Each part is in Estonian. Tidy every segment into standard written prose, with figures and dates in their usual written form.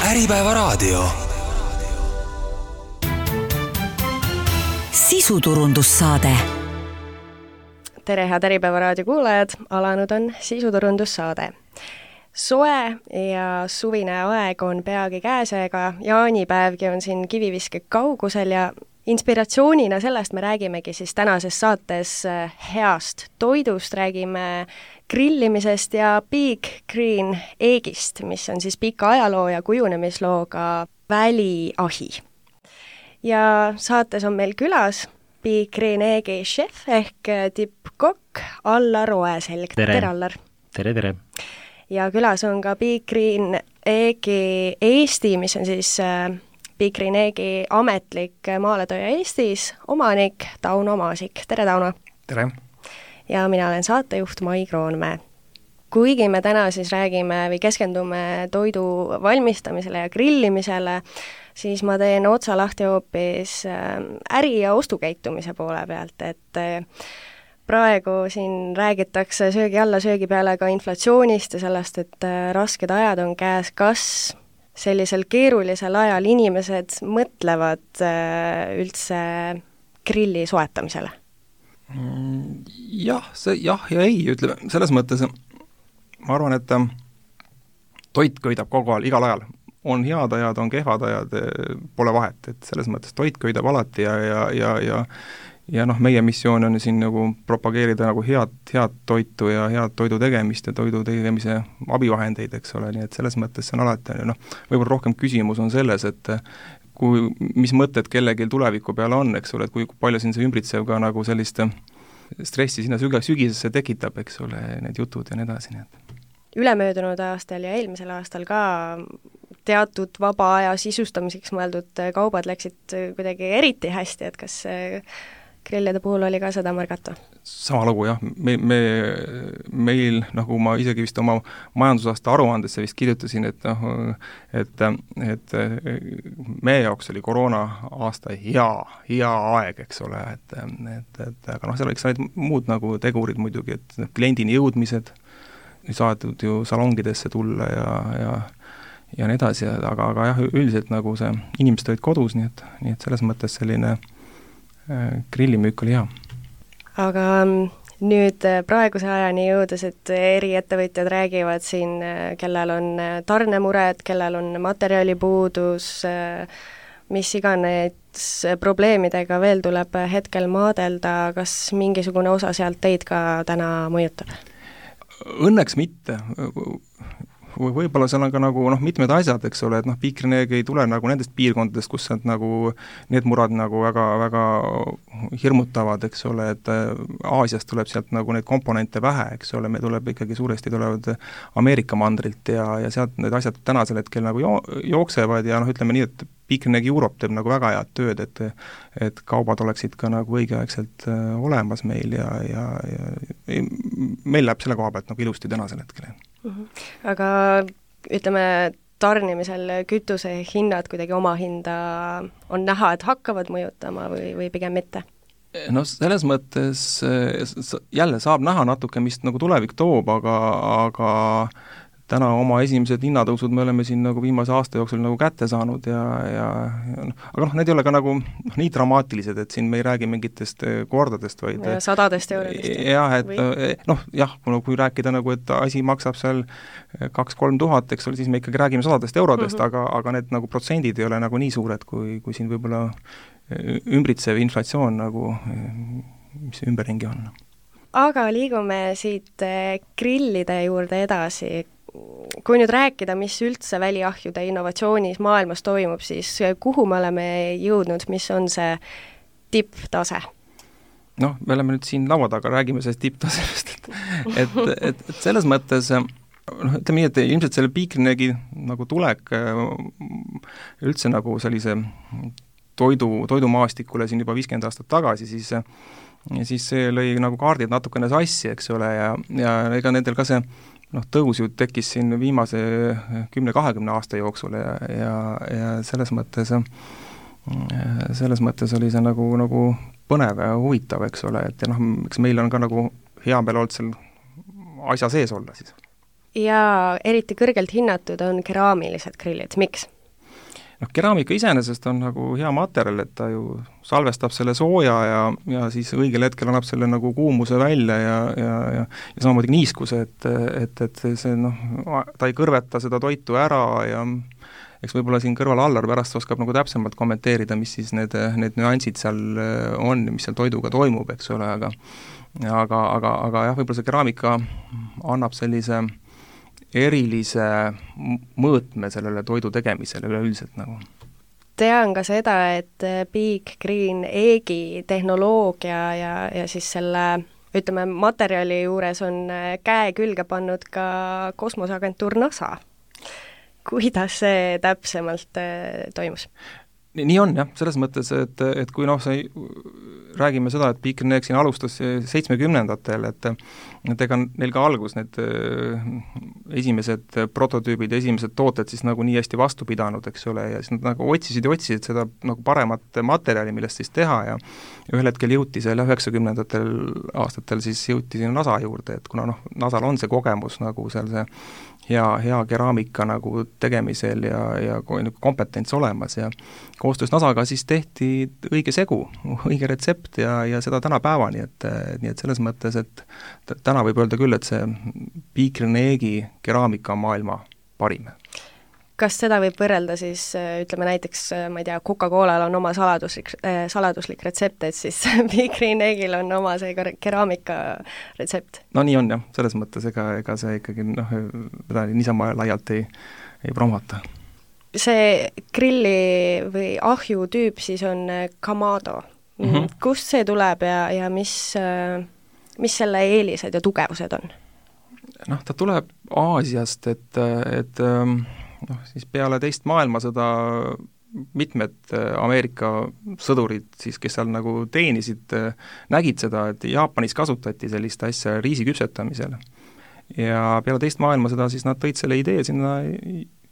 Äripäevaraadio. Sisuturundussaade. Tere, head Äripäevaraadio kuulajad, alanud on sisuturundussaade. Soe ja suvine aeg on peagi käes, ega jaanipäevgi on siin kiviviske kaugusel ja inspiratsioonina sellest me räägimegi siis tänases saates heast toidust, räägime grillimisest ja Big Green Eggist, mis on siis pika ajaloo ja kujunemislooga väliahi. Ja saates on meil külas Big Green Eggi chef ehk tippkokk Allar Oeselg. Tere, Allar! Tere! Ja külas on ka Big Green Eggi Eesti, mis on siis Big Green Eggi ametlik maaletooja Eestis, omanik Tauno Maasik. Tere, Tauno! Tere! Ja mina olen saatejuht Mai Kroonmäe. Kuigi me täna siis räägime või keskendume toidu valmistamisele ja grillimisele, siis ma teen otsa lahti hoopis äri- ja ostukäitumise poole pealt, et praegu siin räägitakse söögi alla, söögi peale ka inflatsioonist ja sellest, et rasked ajad on käes. Kas sellisel keerulisel ajal inimesed mõtlevad üldse grilli soetamisele? Jah ja ei, ütleme, selles mõttes ma arvan, et toit köidab kogu ajal, igal ajal. On head ajad, on kehvad ajad, pole vahet, et selles mõttes toit köidab alati ja meie missioon on siin nagu propageerida nagu head toitu ja head toidu tegemist ja toidu tegemise abivahendeid, eks ole, nii et selles mõttes on alati, võib-olla rohkem küsimus on selles, et mis mõtted kellelgi tuleviku peale on, eks ole, et kui palju siin see ümbritsev ka nagu sellist stressi sinna sügisesse tekitab, eks ole, need jutud ja nii edasi. Ülemöödunud aastal ja eelmisel aastal ka teatud vaba aja sisustamiseks mõeldud kaubad läksid kuidagi eriti hästi, et kas grillide puhul oli ka seda märgata? Sama lugu, jah. Meil, nagu ma isegi vist oma majandusaasta aruandesse vist kirjutasin, et meie jaoks oli koroona aasta hea aeg, eks ole, aga seal oleks need muud nagu tegurid muidugi, et kliendini jõudmised, saadetud ju salongidesse tulla ja nii edasi, aga jah, üldiselt nagu see inimesed olid kodus, nii et selles mõttes selline grillimüük oli hea. Aga nüüd praeguse ajani jõudes, et eri ettevõtjad räägivad siin, kellel on tarnemured, kellel on materjalipuudus, mis iganes probleemidega veel tuleb hetkel maadelda, kas mingisugune osa sealt teid ka täna mõjutab? Õnneks mitte. Võib-olla seal on ka nagu mitmed asjad, eks ole, et Big Green Egg ei tule nagu nendest piirkondadest, kus need murad nagu väga hirmutavad, eks ole, et Aasiast tuleb sealt nagu neid komponente vähe, eks ole, me tuleb ikkagi suuresti tulevad Ameerika mandrilt ja sealt need asjad tänasel hetkel nagu jooksevad ja ütleme nii, et Big Green Egg Europe teeb nagu väga head tööd, et kaubad oleksid ka nagu õigeaegselt olemas meil ja meil läheb selle koha pealt nagu ilusti tänasel hetkel. Aga ütleme, tarnimisel kütuse hinnad kuidagi oma hinda on näha, et hakkavad mõjutama või pigem mitte? No selles mõttes jälle saab näha natuke, mis nagu tulevik toob, aga täna oma esimesed hinnatõusud me oleme siin nagu viimase aasta jooksul nagu kätte saanud aga need ei ole ka nagu nii dramaatilised, et siin me ei räägi mingitest kordadest, vaid sadadest eurodest. Jah, kui rääkida nagu, et asi maksab seal 2-3 tuhat, eks ole, siis me ikkagi räägime sadadest eurodest, aga need nagu protsendid ei ole nagu nii suured, kui siin võib-olla ümbritsev inflatsioon nagu, mis ümberringi on. Aga liigume siit grillide juurde edasi. Kui nüüd rääkida, mis üldse väliahjude innovatsioonis maailmas toimub, siis kuhu me oleme jõudnud, mis on see tipptase? Me oleme nüüd siin laua taga, räägime sellest tipptasemest, et selles mõttes ütleme nii, et ilmselt selle Big Green Eggi nagu tulek üldse nagu sellise toidumaastikule siin juba 50 aastat tagasi, siis see lõi nagu kaardid natukene sassi, eks ole, ja ega nendel ka see tõus ju tekkis siin viimase 10-20 aasta jooksul ja selles mõttes oli see nagu põnev ja huvitav, eks ole, et eks meil on ka nagu hea meel olnud seal asja sees olla siis. Ja eriti kõrgelt hinnatud on keraamilised grillid, miks? keraamika iseenesest on nagu hea materjal, et ta ju salvestab selle sooja ja siis õigel hetkel annab selle nagu kuumuse välja ja samamoodi niiskuse, et see ta ei kõrveta seda toitu ära ja eks võib-olla siin kõrval Allar pärast oskab nagu täpsemalt kommenteerida, mis siis need nüansid seal on ja mis seal toiduga toimub, eks ole, aga jah, võib-olla see keraamika annab sellise erilise mõõtme sellele toidu tegemisele üleüldiselt nagu. Tean ka seda, et Big Green Eggi tehnoloogia ja siis selle, ütleme, materjali juures on käe külge pannud ka kosmoseagentuur NASA. Kuidas see täpsemalt toimus? Nii on jah, selles mõttes, et kui räägime seda, et Big Green Egg siin alustas 70-ndatel, et ega neil ka algus need esimesed prototüübid ja esimesed tooted siis nagu nii hästi vastu pidanud, eks ole, ja siis nad nagu otsisid seda nagu paremat materjali, millest siis teha ja ühel hetkel jõuti selle 90-ndatel aastatel siis jõuti sinna NASA juurde, et kuna NASAl on see kogemus nagu seal see hea keraamika nagu tegemisel ja kompetents olemas ja koostöös NASAga siis tehti õige segu, õige retsept ja seda tänapäevani, nii et selles mõttes, et täna võib öelda küll, et see Big Green Eggi keraamika on maailma parim. Kas seda võib võrrelda siis, ütleme näiteks, ma ei tea, Coca-Colal on oma saladuslik retsept, et siis Big Green Eggil on oma see keraamika retsept? No nii on jah, selles mõttes, ega see ikkagi seda niisama laialt ei promota. See grilli või ahju tüüp siis on Kamado. Kust see tuleb ja mis selle eelised ja tugevused on? Ta tuleb Aasiast, et siis peale teist maailmasõda mitmed Ameerika sõdurid siis, kes seal nagu teenisid, nägid seda, et Jaapanis kasutati sellist asja riisi küpsetamisel. Ja peale teist maailmasõda siis nad tõid selle idee sinna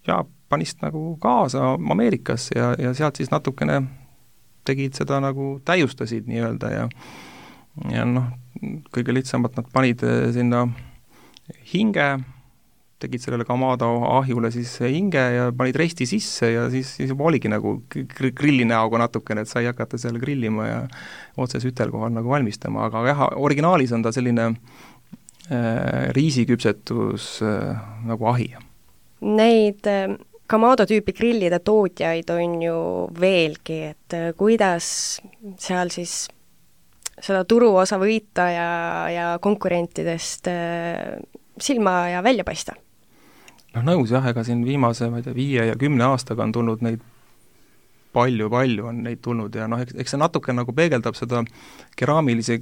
Jaapanist nagu kaasa Ameerikas ja sealt siis natukene tegid seda nagu täiustasid nii-öelda ja kõige lihtsamalt nad panid sinna hinge, tegid sellele Kamado ahjule siis hinge ja panid resti sisse ja siis juba oligi nagu grilli näoga natukene, et sai hakata seal grillima ja otse sütelkohal nagu valmistama, aga jah, originaalis on ta selline riisiküpsetus nagu ahi. Neid Kamado tüüpi grillide tootjaid on ju veelgi, et kuidas seal siis seda turuosa võita ja konkurentidest silma ja välja paista? Nõus jah, ega siin viimase 5 ja 10 aastaga on tulnud neid palju on neid tulnud ja eks see natuke nagu peegeldab seda keraamilise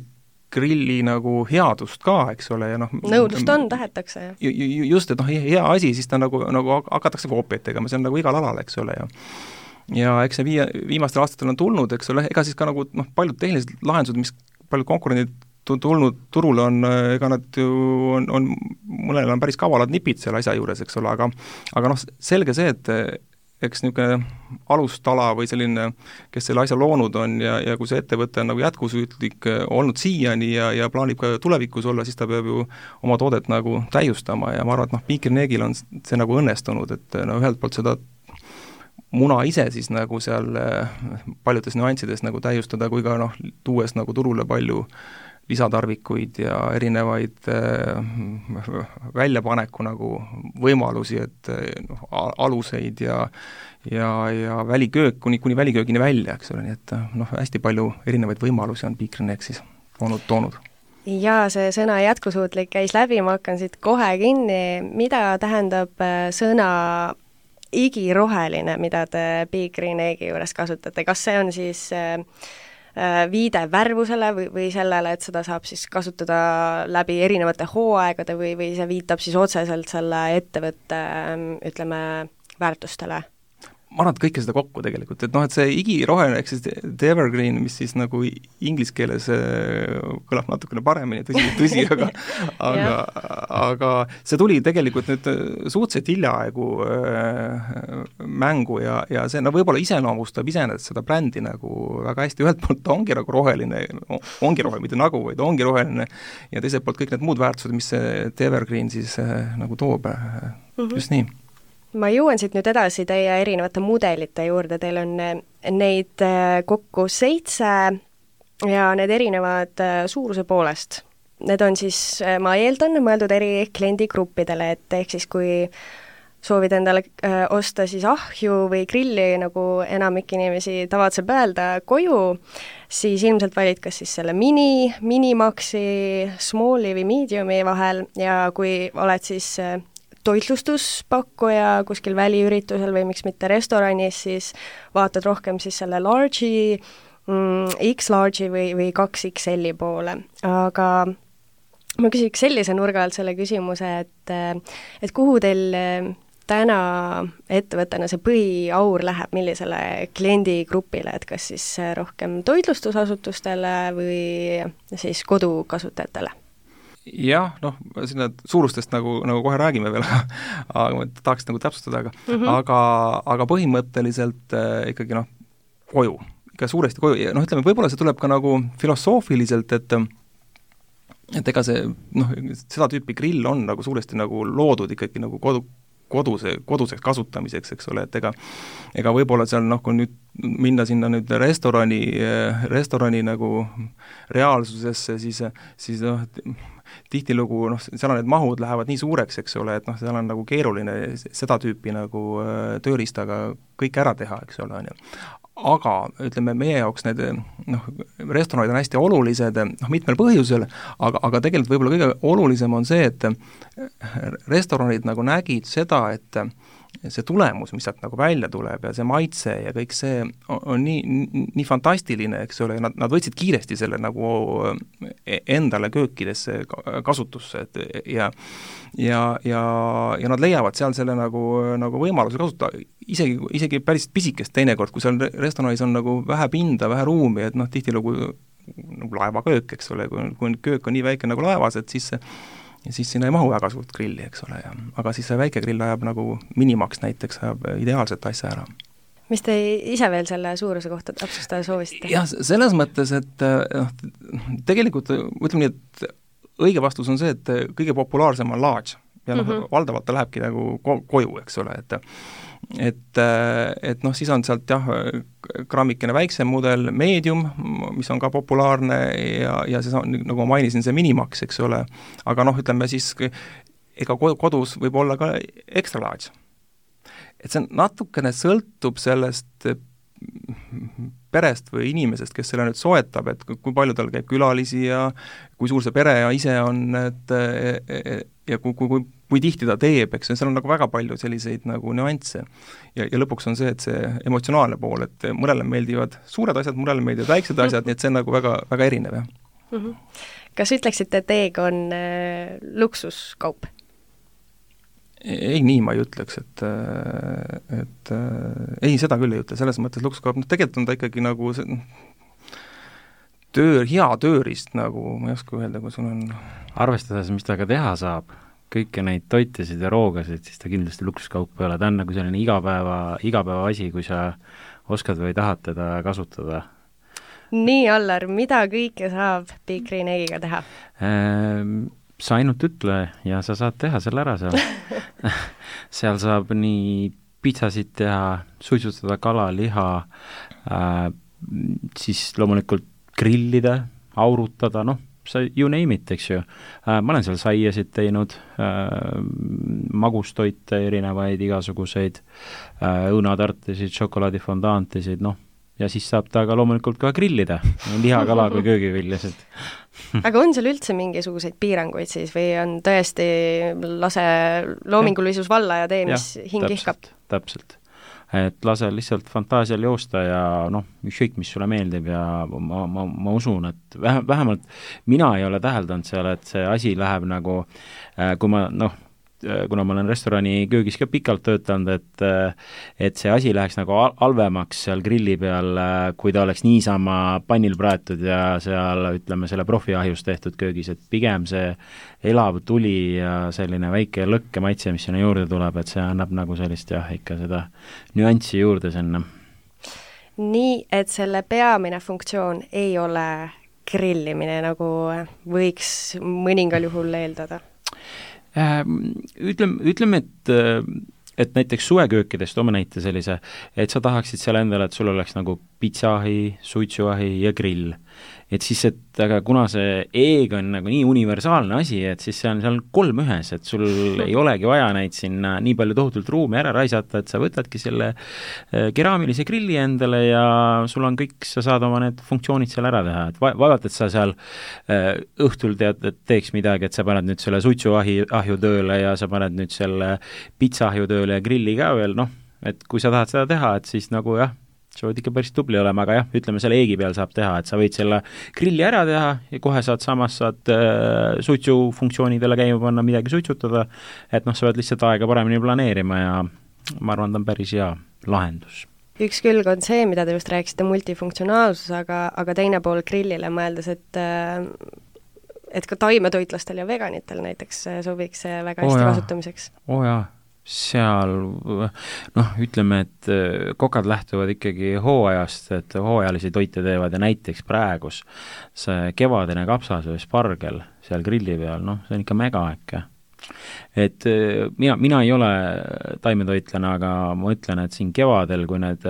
grilli nagu headust ka, eks ole, ja nõudlust on, tahetakse. Just, et hea asi, siis ta nagu hakatakse koopiaid tegema, see on nagu igal alal, eks ole, ja eks see viimastel aastatel on tulnud, eks ole, ega siis ka nagu paljud tehnilised lahendused, mis paljud konkurendid tulnud turule on, ega nad ju on mõnel on päris kavalad nipid selle asja juures, eks ole, aga selge see, et eks niisugune alustala või selline, kes selle asja loonud on ja kui see ettevõte on nagu jätkusüütlik olnud siiani ja plaanib ka tulevikus olla, siis ta peab ju oma toodet nagu täiustama ja ma arvan, et Big Green Eggil on see nagu õnnestunud, et ühelt poolt seda muna ise siis nagu seal paljudes nüanssides nagu täiustada, kui ka tuues nagu turule palju lisatarvikuid ja erinevaid väljapaneku nagu võimalusi, et aluseid ja väliköök, kuni väliköögini välja, eks ole, nii et hästi palju erinevaid võimalusi on Big Green Egg siis toonud. Ja see sõna jätkusuutlik käis läbi, ma hakkan siit kohe kinni. Mida tähendab sõna igiroheline, mida te Big Green Eggi juures kasutate? Kas see on siis viide värvusele või sellele, et seda saab siis kasutada läbi erinevate hooaegade või see viitab siis otseselt selle ettevõtte, ütleme, väärtustele? Ma arvan, et kõike seda kokku tegelikult, et et see igiroheline, ehk siis the evergreen, mis siis nagu inglise keeles kõlab natukene paremini, tõsi, aga see tuli tegelikult nüüd suhteliselt hiljaaegu mängu ja see võib-olla iseloomustab iseenesest seda brändi nagu väga hästi, ühelt poolt ta ongi nagu roheline, mitte nagu, vaid ongi roheline ja teiselt poolt kõik need muud väärtused, mis see the evergreen siis nagu toob, just nii. ma jõuan siit nüüd edasi teie erinevate mudelite juurde, teil on neid kokku 7 ja need erinevad suuruse poolest. Need on siis, ma eeldan, mõeldud eri kliendigruppidele, et ehk siis kui soovid endale osta siis ahju või grilli, nagu enamik inimesi tavatseb öelda, koju, siis ilmselt valid kas siis selle minimaxi, smalli või mediumi vahel ja kui oled siis toitlustuspakkuja kuskil väliüritusel või miks mitte restoranis, siis vaatad rohkem siis selle large'i, X-large'i või 2XL-i poole. Aga ma küsiks sellise nurga alt selle küsimuse, et kuhu teil täna ettevõttena see põhiaur läheb, millisele kliendigrupile, et kas siis rohkem toitlustusasutustele või siis kodukasutajatele? Jah, noh, sinna suurustest nagu kohe räägime veel, aga ma tahaks nagu täpsustada, aga põhimõtteliselt ikkagi koju, ikka suuresti koju, ütleme, võib-olla see tuleb ka nagu filosoofiliselt, et ega see, seda tüüpi grill on nagu suuresti nagu loodud ikkagi nagu koduseks kasutamiseks, eks ole, et ega võib-olla seal kui nüüd minna sinna nüüd restorani nagu reaalsusesse, siis tihtilugu seal on need mahud lähevad nii suureks, eks ole, et seal on nagu keeruline seda tüüpi nagu tööriistaga kõik ära teha, eks ole, on ju. Aga ütleme, meie jaoks need restoranid on hästi olulised mitmel põhjusel, aga tegelikult võib-olla kõige olulisem on see, et restoranid nagu nägid seda, et see tulemus, mis sealt nagu välja tuleb ja see maitse ja kõik see on nii fantastiline, eks ole, nad võtsid kiiresti selle nagu endale köökidesse kasutusse, ja nad leiavad seal selle nagu võimaluse kasutada, isegi päris pisikest teinekord, kui seal restoranis on nagu vähe pinda, vähe ruumi, et tihtilugu nagu laevaköök, eks ole, kui köök on nii väike nagu laevas, et siis sinna ei mahu väga suurt grilli, eks ole, aga siis see väike grill ajab nagu Minimax näiteks, ajab ideaalset asja ära. Mis te ise veel selle suuruse kohta täpsustada soovisite? Jah, selles mõttes, et tegelikult ütleme nii, et õige vastus on see, et kõige populaarsem on large ja valdavalt ta lähebki nagu koju, eks ole, et siis on sealt grammikene väiksem mudel, medium, mis on ka populaarne ja see on, nagu ma mainisin, see Minimax, eks ole, aga ütleme siis, ega kodus võib olla ka extra large. Et see natukene sõltub sellest perest või inimesest, kes selle nüüd soetab, et kui palju tal käib külalisi ja kui suur see pere ja ise on, ja kui tihti ta teeb, eks, seal on nagu väga palju selliseid nagu nüansse. Ja lõpuks on see, et see emotsionaalne pool, et mõnele meeldivad suured asjad, mõnele meeldivad väiksed asjad, nii et see on nagu väga, väga erinev, jah. Kas ütleksite, et teega on luksuskaup? Ei, nii ma ei ütleks, et ei, seda küll ei ütle, selles mõttes luksuskaup, tegelikult on ta ikkagi nagu hea tööriist, nagu ma ei oska öelda, kui sul on arvestades, mis ta ka teha saab, kõiki neid toitesid ja roogasid, siis ta kindlasti luksuskaup ei ole, ta on nagu selline igapäeva asi, kui sa oskad või tahad teda kasutada. Nii, Allar, mida kõike saab Big Green Eggiga teha? Sa ainult ütle ja sa saad teha selle ära seal. Seal saab nii pitsasid teha, suitsutada kala, liha, siis loomulikult grillida, aurutada, you name it, eks ju. Ma olen seal saiasid teinud, magustoite, erinevaid igasuguseid, õunatartisid, šokolaadifondaantisid, ja siis saab ta ka loomulikult ka grillida, liha, kala kui köögiviljasid. Aga on seal üldse mingisuguseid piiranguid siis või on tõesti lase loomingulisus valla ja tee, mis hing ihkab? Täpselt. Et lase lihtsalt fantaasial joosta ja ükskõik, mis sulle meeldib ja ma usun, et vähemalt mina ei ole täheldanud seal, et see asi läheb nagu, kui ma, kuna ma olen restorani köögis ka pikalt töötanud, et see asi läheks nagu halvemaks seal grilli peal, kui ta oleks niisama pannil praetud ja seal, ütleme, selle profiahjus tehtud köögis, et pigem see elav tuli ja selline väike lõkke maitse, mis sinna juurde tuleb, et see annab nagu sellist ikka seda nüanssi juurde sinna. Nii, et selle peamine funktsioon ei ole grillimine, nagu võiks mõningal juhul eeldada? Ütleme, et et näiteks suveköökidest toome näite sellise, et sa tahaksid seal endale, et sul oleks nagu pitsaahi, suitsuahi ja grill. Et siis, et aga kuna see eeg on nagu nii universaalne asi, et siis see on seal 3 ühes, et sul ei olegi vaja neid sinna nii palju tohutult ruumi ära raisata, et sa võtadki selle keraamilise grilli endale ja sul on kõik, sa saad oma need funktsioonid seal ära teha, et vaevalt, et sa seal õhtul tead, et teeks midagi, et sa paned nüüd selle suitsuahju tööle ja sa paned nüüd selle pitsaahju tööle ja grilli ka veel, noh, et kui sa tahad seda teha, et siis nagu jah, sa võid ikka päris tubli olema, aga jah, ütleme selle eegi peal saab teha, et sa võid selle grilli ära teha ja kohe saad suitsufunktsioonidele käima panna, midagi suitsutada, et noh, sa pead lihtsalt aega paremini planeerima ja ma arvan, ta on päris hea lahendus. Üks külg on see, mida te just rääkisite, multifunktsionaalsus, aga teine pool grillile mõeldes, et ka taimetoitlastel ja veganitel näiteks sobiks see väga hästi kasutamiseks. Jaa. Seal, noh, ütleme, et kokad lähtuvad ikkagi hooajast, et hooajalisi toite teevad ja näiteks praegus see kevadine kapsas või spargel seal grilli peal, noh, see on ikka mega äkki. Et mina ei ole taimetoitlane, aga ma ütlen, et siin kevadel, kui need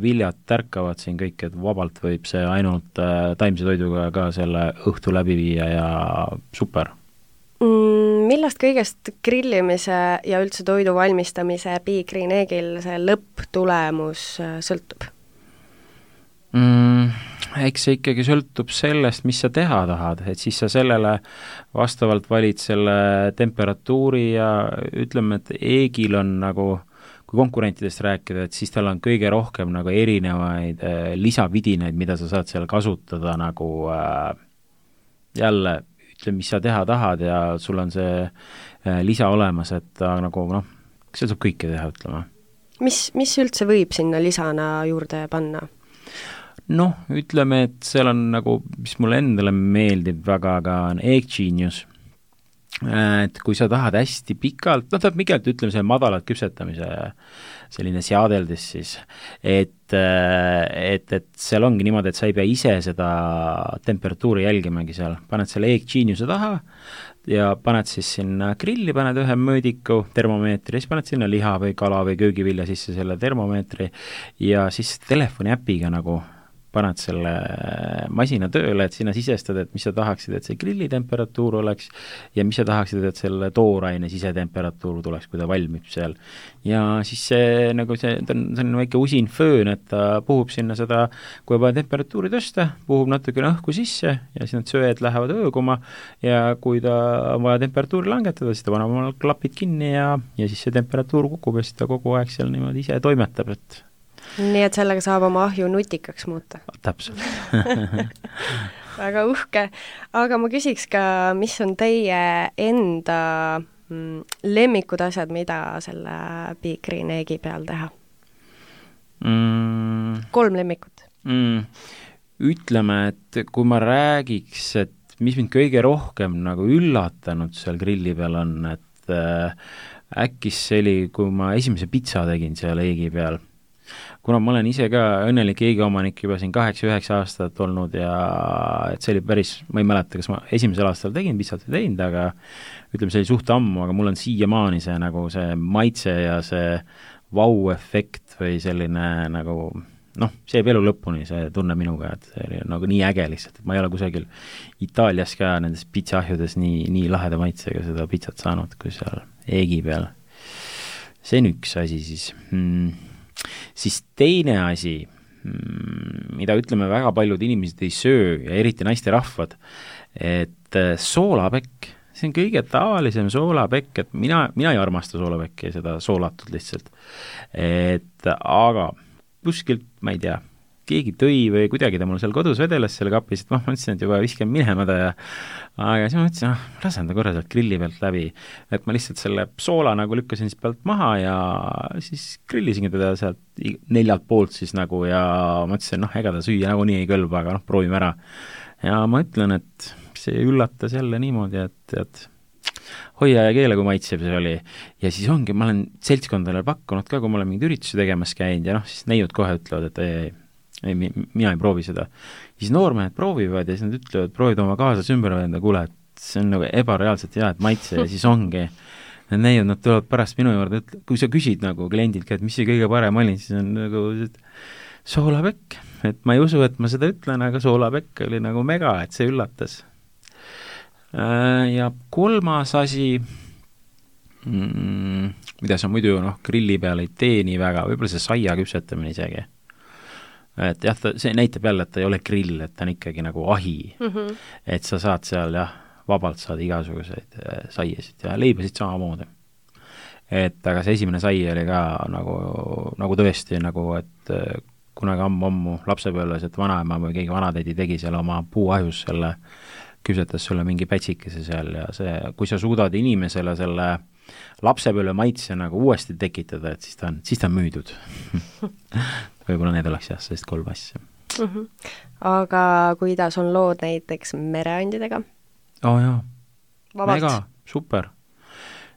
viljad tärkavad siin kõik, et vabalt võib see ainult taimse toiduga ka selle õhtu läbi viia ja super. Millest kõigest grillimise ja üldse toidu valmistamise Big Green Eggil see lõpptulemus sõltub? Eks see ikkagi sõltub sellest, mis sa teha tahad, et siis sa sellele vastavalt valid selle temperatuuri ja ütleme, et Eggil on nagu, kui konkurentidest rääkida, et siis tal on kõige rohkem nagu erinevaid lisavidinaid, mida sa saad seal kasutada nagu jälle mis sa teha tahad ja sul on see lisa olemas, et nagu noh, see saab kõike teha, ütleme. Mis üldse võib sinna lisana juurde panna? Noh, ütleme, et seal on nagu, mis mulle endale meeldib väga, aga on Egg Genius. Et kui sa tahad hästi pikalt, noh, pikalt ütleme see madalat küpsetamise selline seadeldis siis, et seal ongi niimoodi, et sa ei pea ise seda temperatuuri jälgimagi seal, paned selle Egg Geniuse taha ja paned siis sinna grilli, paned ühe mõõdiku termomeetri, siis paned sinna liha või kala või köögivilja sisse selle termomeetri ja siis telefoni äpiga nagu paned selle masina tööle, et sinna sisestad, et mis sa tahaksid, et see grilli temperatuur oleks ja mis sa tahaksid, et selle tooraine sisetemperatuur tuleks, kui ta valmib seal. Ja siis see, nagu see on väike usin föön, et ta puhub sinna seda, kui juba temperatuuri tõsta, puhub natukene õhku sisse ja siis need söed lähevad ööguma ja kui ta on vaja temperatuuri langetada, siis ta paneb oma klapid kinni ja siis see temperatuur kukub ja siis ta kogu aeg seal niimoodi ise toimetab, et nii et sellega saab oma ahju nutikaks muuta. Täpselt. Väga uhke. Aga ma küsiks ka, mis on teie enda lemmikud asjad, mida selle Big Green Eggi peal teha? 3 lemmikut. Ütleme, et kui ma räägiks, et mis mind kõige rohkem nagu üllatanud seal grilli peal on, et äkki see oli, kui ma esimese pitsa tegin seal Eggi peal, kuna ma olen ise ka õnnelik Eggi omanik juba siin 8-9 aastat olnud ja et see oli päris, ma ei mäleta, kas ma esimesel aastal tegin pitsat või teinud, aga ütleme, see oli suht ammu, aga mul on siiamaani see nagu see maitse ja see vau-efekt või selline nagu noh, see jääb elu lõpuni, see tunne minuga, et see oli nagu nii äge lihtsalt, et ma ei ole kusagil Itaalias ka nendes pitsaahjudes nii laheda maitsega seda pitsat saanud, kui seal Eggi peal. See on üks asi siis. Siis teine asi, mida ütleme väga paljud inimesed ei söö ja eriti naisterahvad, et soolapekk, see on kõige tavalisem soolapekk, et mina ei armasta soolapekki, seda soolatud lihtsalt, et aga kuskilt, ma ei tea, keegi tõi või kuidagi ta mul seal kodus vedeles selle kapis, et ma mõtlesin, et juba viskan minema ta ja aga siis ma mõtlesin, lasen ta korra sealt grilli pealt läbi, et ma lihtsalt selle soola nagu lükkasin siis pealt maha ja siis grillisingi teda sealt 4 poolt siis nagu ja mõtlesin, ega ta süüa nagu nii ei kõlba, aga proovime ära. Ja ma ütlen, et see üllatas jälle niimoodi, et hoia ja keele, kui maitsev see oli. Ja siis ongi, ma olen seltskondadele pakkunud ka, kui ma olen mingid üritusi tegemas käinud ja siis neiud kohe ütlevad, et ei, mina ei proovi seda. Siis noormehed proovivad ja siis nad ütlevad, proovid oma kaasas ümber venda, kuule, et see on nagu ebareaalselt hea, et maitse ja siis ongi need neiud, nad tulevad pärast minu juurde, kui sa küsid nagu kliendilt ka, et mis see kõige parem oli, siis on nagu soolapekk, et ma ei usu, et ma seda ütlen, aga soolapekk oli nagu mega, et see üllatas. Ja kolmas asi, mida sa muidu grilli peal ei tee nii väga, võib-olla see saia küpsetamine isegi. Et jah, see näitab jälle, et ta ei ole grill, et ta on ikkagi nagu ahi. Et sa saad seal vabalt saada igasuguseid saiasid ja leibasid samamoodi. Et aga see esimene sai oli ka nagu tõesti nagu, et kunagi ammu lapsepõlves, et vanaema või keegi vanatädi tegi seal oma puuahjus selle, küpsetas sulle mingi pätsikese seal ja see, kui sa suudad inimesele selle lapsepõlve maitse nagu uuesti tekitada, et siis ta on müüdud. Võib-olla need oleks jah, sellist 3 asja. Aga kuidas on lood näiteks mereandidega? Jaa, Vabalt. mega, super.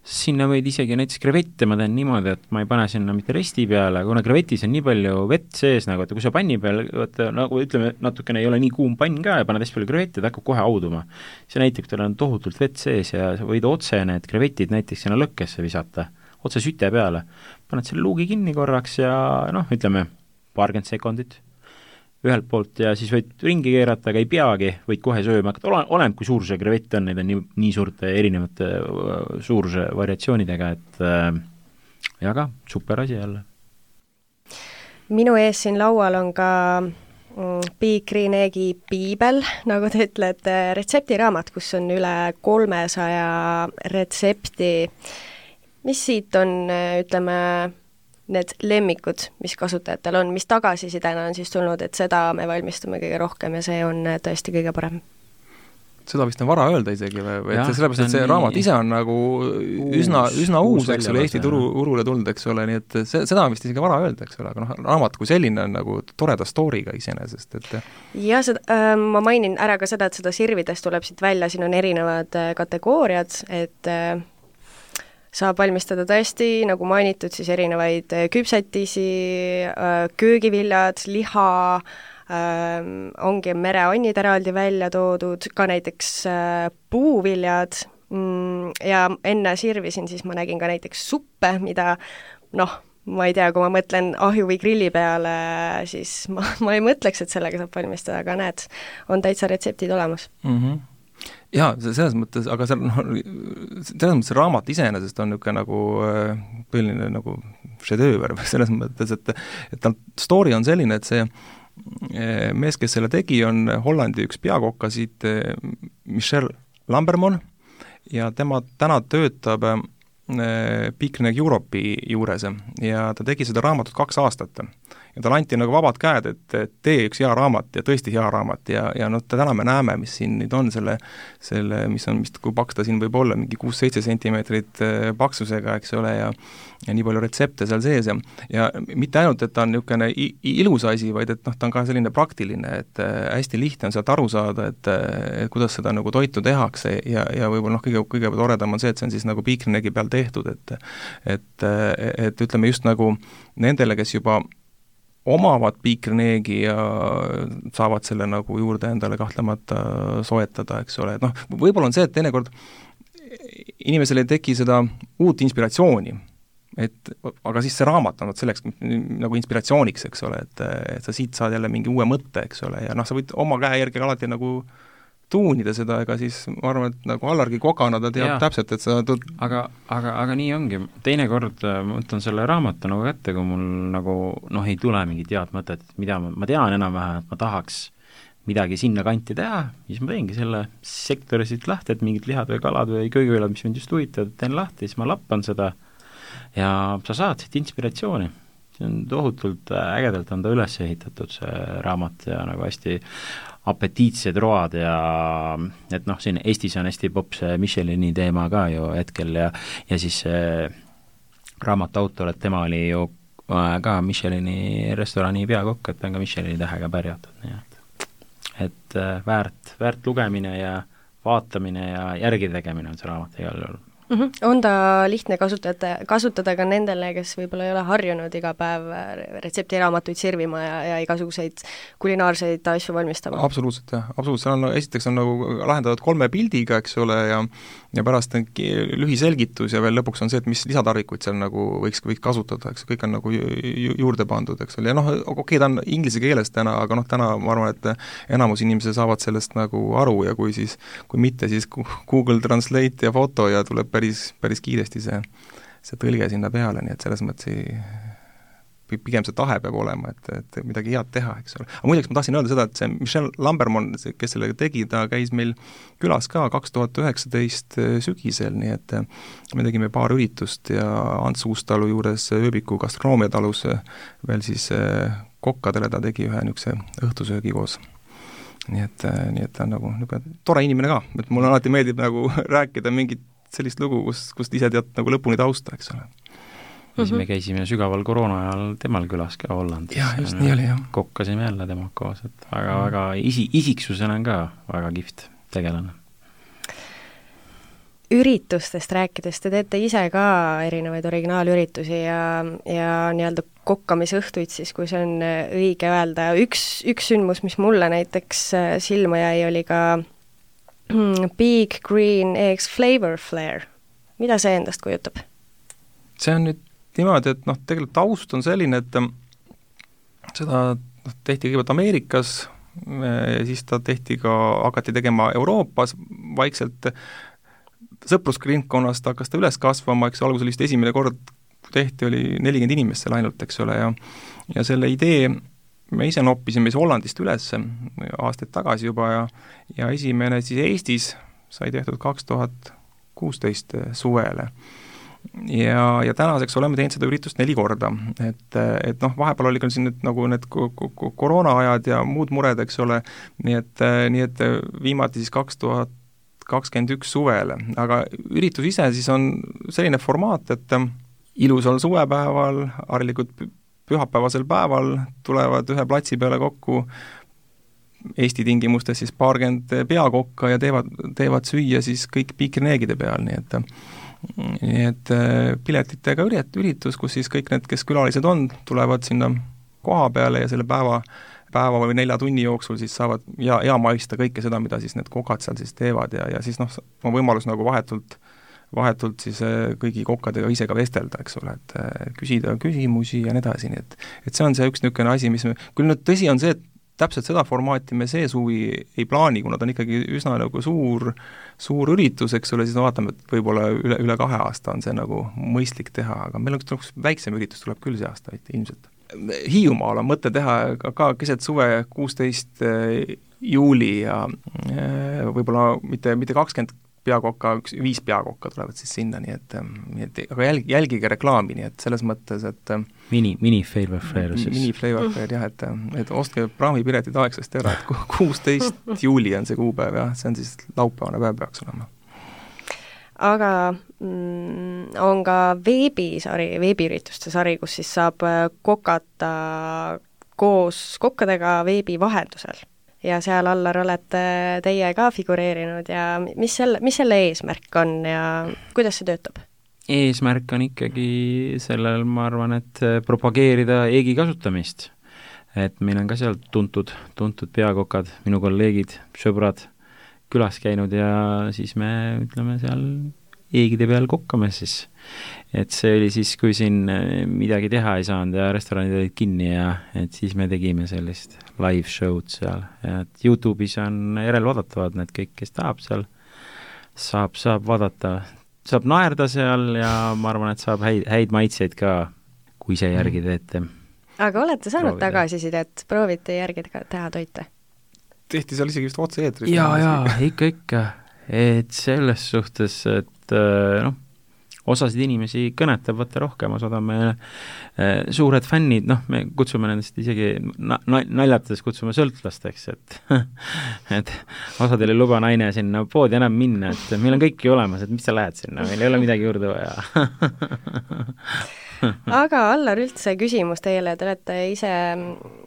Sinna võid isegi näiteks krevette ma teen niimoodi, et ma ei pane sinna mitte resti peale, kuna krevetis on nii palju vett sees, nagu, et kui sa panni peal, nagu ütleme, natukene ei ole nii kuum pann ka ja paned hästi palju krevette, ta hakkab kohe auduma. See näitab, tal on tohutult vett sees ja sa võid otse need krevetid näiteks sinna lõkkesse visata, otse süte peale. Paned selle luugi kinni korraks ja ütleme, 20 sekundit ühelt poolt ja siis võid ringi keerata, aga ei peagi, võid kohe sööma hakata, oleneb kui suur see krevett on, neid on nii suurte erinevate suuruse variatsioonidega, et ja super asi jälle. Minu ees siin laual on ka Big Green Eggi piibel, nagu te ütlete, retseptiraamat, kus on üle 300 retsepti. Mis siit on, ütleme, need lemmikud, mis kasutajatel on, mis tagasisidena on siis tulnud, et seda me valmistame kõige rohkem ja see on tõesti kõige parem. Seda vist on vara öelda isegi või et sellepärast, et see raamat ise on nagu üsna uus, eks ole, Eesti turule tulnud, eks ole, nii et seda on vist isegi vara öelda, eks ole, aga raamat kui selline on nagu toreda story'ga iseenesest, et ja ma mainin ära ka seda, et seda sirvidest tuleb siit välja, siin on erinevad kategooriad, et saab valmistada tõesti, nagu mainitud, siis erinevaid küpsetisi, köögiviljad, liha, ongi mereannid eraldi välja toodud, ka näiteks puuviljad ja enne sirvisin, siis ma nägin ka näiteks suppe, mida ma ei tea, kui ma mõtlen ahju või grilli peale, siis ma ei mõtleks, et sellega saab valmistada, aga näed, on täitsa retseptid olemas. Jaa, selles mõttes, aga selles mõttes see raamat iseenesest on niisugune nagu põhiline nagu šedööver selles mõttes, et tal story on selline, et see mees, kes selle tegi, on Hollandi üks peakokkasid Michel Lambermon ja tema täna töötab Big Green Egg Europe'i juures ja ta tegi seda raamatut 2 aastat. Ja tal anti nagu vabad käed, et tee üks hea raamat ja tõesti hea raamat ja täna me näeme, mis siin nüüd on selle mis on vist, kui paks ta siin võib olla, mingi 6-7 sentimeetrit paksusega, eks ole, ja nii palju retsepte seal sees ja mitte ainult, et ta on niisugune ilus asi, vaid et ta on ka selline praktiline, et hästi lihtne on sealt aru saada, et kuidas seda nagu toitu tehakse ja võib-olla kõige toredam on see, et see on siis nagu Big Green Eggi peal tehtud, et ütleme just nagu nendele, kes juba omavad Big Green Eggi ja saavad selle nagu juurde endale kahtlemata soetada, eks ole, et võib-olla on see, et teinekord inimesel ei teki seda uut inspiratsiooni, aga siis see raamat on selleks nagu inspiratsiooniks, eks ole, et sa siit saad jälle mingi uue mõtte, eks ole, ja sa võid oma käe järgi alati nagu tuunida seda, ega siis ma arvan, et nagu Allargi kokana ta teab täpselt, et sa aga nii ongi, teinekord ma võtan selle raamatu nagu kätte, kui mul nagu ei tule mingit head mõtet, mida ma tean enam-vähem, et ma tahaks midagi sinna kanti teha, siis ma teengi selle sektori siit lahti, et mingid lihad või kalad või köögiviljad, mis mind just huvitavad, teen lahti, siis ma lappan seda ja sa saad siit inspiratsiooni. See on tohutult ägedalt on ta üles ehitatud, see raamat ja nagu hästi apetiitsed road ja et siin Eestis on hästi popp see Michelini teema ka ju hetkel ja siis raamatu autor, et tema oli ju ka Michelini restorani peakokk, et ta on ka Michelini tähega pärjatud, nii et väärt lugemine ja vaatamine ja järgi tegemine on see raamat igal juhul. On ta lihtne kasutada ka nendele, kes võib-olla ei ole harjunud iga päev retseptiraamatuid sirvima ja igasuguseid kulinaarseid asju valmistama? Absoluutselt, jah. Absoluutselt, esiteks on nagu lahendatud 3 pildiga, eks ole, ja pärast on lühiselgitus ja veel lõpuks on see, et mis lisatarvikuid seal nagu võiks kasutada, eks, kõik on nagu juurde pandud, eks ole, ja okei, ta on inglise keeles täna, aga täna ma arvan, et enamus inimesed saavad sellest nagu aru ja kui mitte, siis Google Translate ja foto ja tuleb päris kiiresti see tõlge sinna peale, nii et selles mõttes pigem see tahe peab olema, et midagi head teha, eks ole. Aga muideks ma tahtsin öelda seda, et see Michelle Lambermon, kes sellega tegi, ta käis meil külas ka 2019 sügisel, nii et me tegime paar üritust ja Ants Uustalu juures ööbiku gastronoomiatalus veel siis kokkadele ta tegi ühe niisuguse õhtusöögi koos. Nii et ta on nagu tore inimene ka, et mulle alati meeldib nagu rääkida mingit sellist lugu, kust ise tead nagu lõpuni tausta, eks ole. Siis me käisime sügaval koroona ajal temal külas ka Hollandis. Jah, just nii oli, jah. Kokkasime jälle tema koos, et väga isiksusena on ka väga kihvt tegelane. Üritustest rääkides, te teete ise ka erinevaid originaalüritusi ja nii-öelda kokkamisõhtuid siis, kui see on õige öelda. Üks sündmus, mis mulle näiteks silma jäi, oli ka Big Green Eggs Flavor Flare. Mida see endast kujutab? See on nüüd niimoodi, et tegelikult taust on selline, et seda tehti kõigepealt Ameerikas, siis ta hakati tegema Euroopas, vaikselt sõprusringkonnast hakkas ta üles kasvama, eks alguses vist esimene kord tehti, oli 40 inimest seal ainult, eks ole, ja selle idee me ise noppisime Hollandist üles aastaid tagasi juba ja esimene siis Eestis sai tehtud 2016 suvele. Ja tänaseks oleme teinud seda üritust 4 korda, et vahepeal oli ka siin need koroonaajad ja muud mured, eks ole, nii et viimati siis 2021 suvele, aga üritus ise siis on selline formaat, et ilusal suvepäeval, harilikult pühapäevasel päeval tulevad ühe platsi peale kokku Eesti tingimustes siis 20 peakokka ja teevad süüa siis kõik piikrineegide peal, nii et piletitega üritus, kus siis kõik need, kes külalised on, tulevad sinna koha peale ja selle päeva või 4 tunni jooksul siis saavad ja maista kõike seda, mida siis need kokad seal siis teevad ja siis on võimalus nagu vahetult siis kõigi kokkadega ise ka vestelda, eks ole, et küsida küsimusi ja nii edasi, nii et see on see üks niisugune asi, mis küll nüüd tõsi on see, et täpselt seda formaati me see suvi ei plaani, kuna ta on ikkagi üsna nagu suur üritus, eks ole, siis vaatame, et võib-olla üle 2 aasta on see nagu mõistlik teha, aga meil on üks väiksem üritus tuleb küll see aasta ilmselt. Hiiumaal on mõte teha ka keset suve 16 juuli ja võib-olla mitte 20 peakokka, 5 peakokka tulevad siis sinna, nii et aga jälgige reklaami, nii et selles mõttes, et Mini Flavor Flare siis. Mini Flavor Flare, jah, et ostke praamipiletid aegsasti ära, et 16 juuli on see kuupäev, jah, see on siis laupäevane päev peaks olema. Aga on ka veebiürituste sari, kus siis saab kokata koos kokkadega veebi vahendusel. Ja seal Allar olete teie ka figureerinud ja mis selle eesmärk on ja kuidas see töötab? Eesmärk on ikkagi sellel, ma arvan, et propageerida eegi kasutamist. Et meil on ka seal tuntud peakokad, minu kolleegid, sõbrad külas käinud ja siis me ütleme seal eegide peal kokkame siis. Et see oli siis, kui siin midagi teha ei saanud ja restoranid olid kinni ja et siis me tegime sellist live show'd seal. Ja et YouTube'is on järelvaadatavad need kõik, kes tahab seal, saab vaadata, saab naerda seal ja ma arvan, et saab häid maitseid ka, kui ise järgi teete. Aga olete saanud tagasisidet, proovite järgi teha toite? Tehti seal isegi vist otse-eetris. Jaa, ikka. Et selles suhtes, et osasid inimesi kõnetab võtta rohkem, osad on meil suured fännid, me kutsume nendest isegi naljatades kutsume sõltlasteks, et osadel ei luba naine sinna poodi enam minna, et meil on kõik ju olemas, et mis sa lähed sinna, meil ei ole midagi juurde vaja. aga Allar, üldse küsimus teile, te olete ise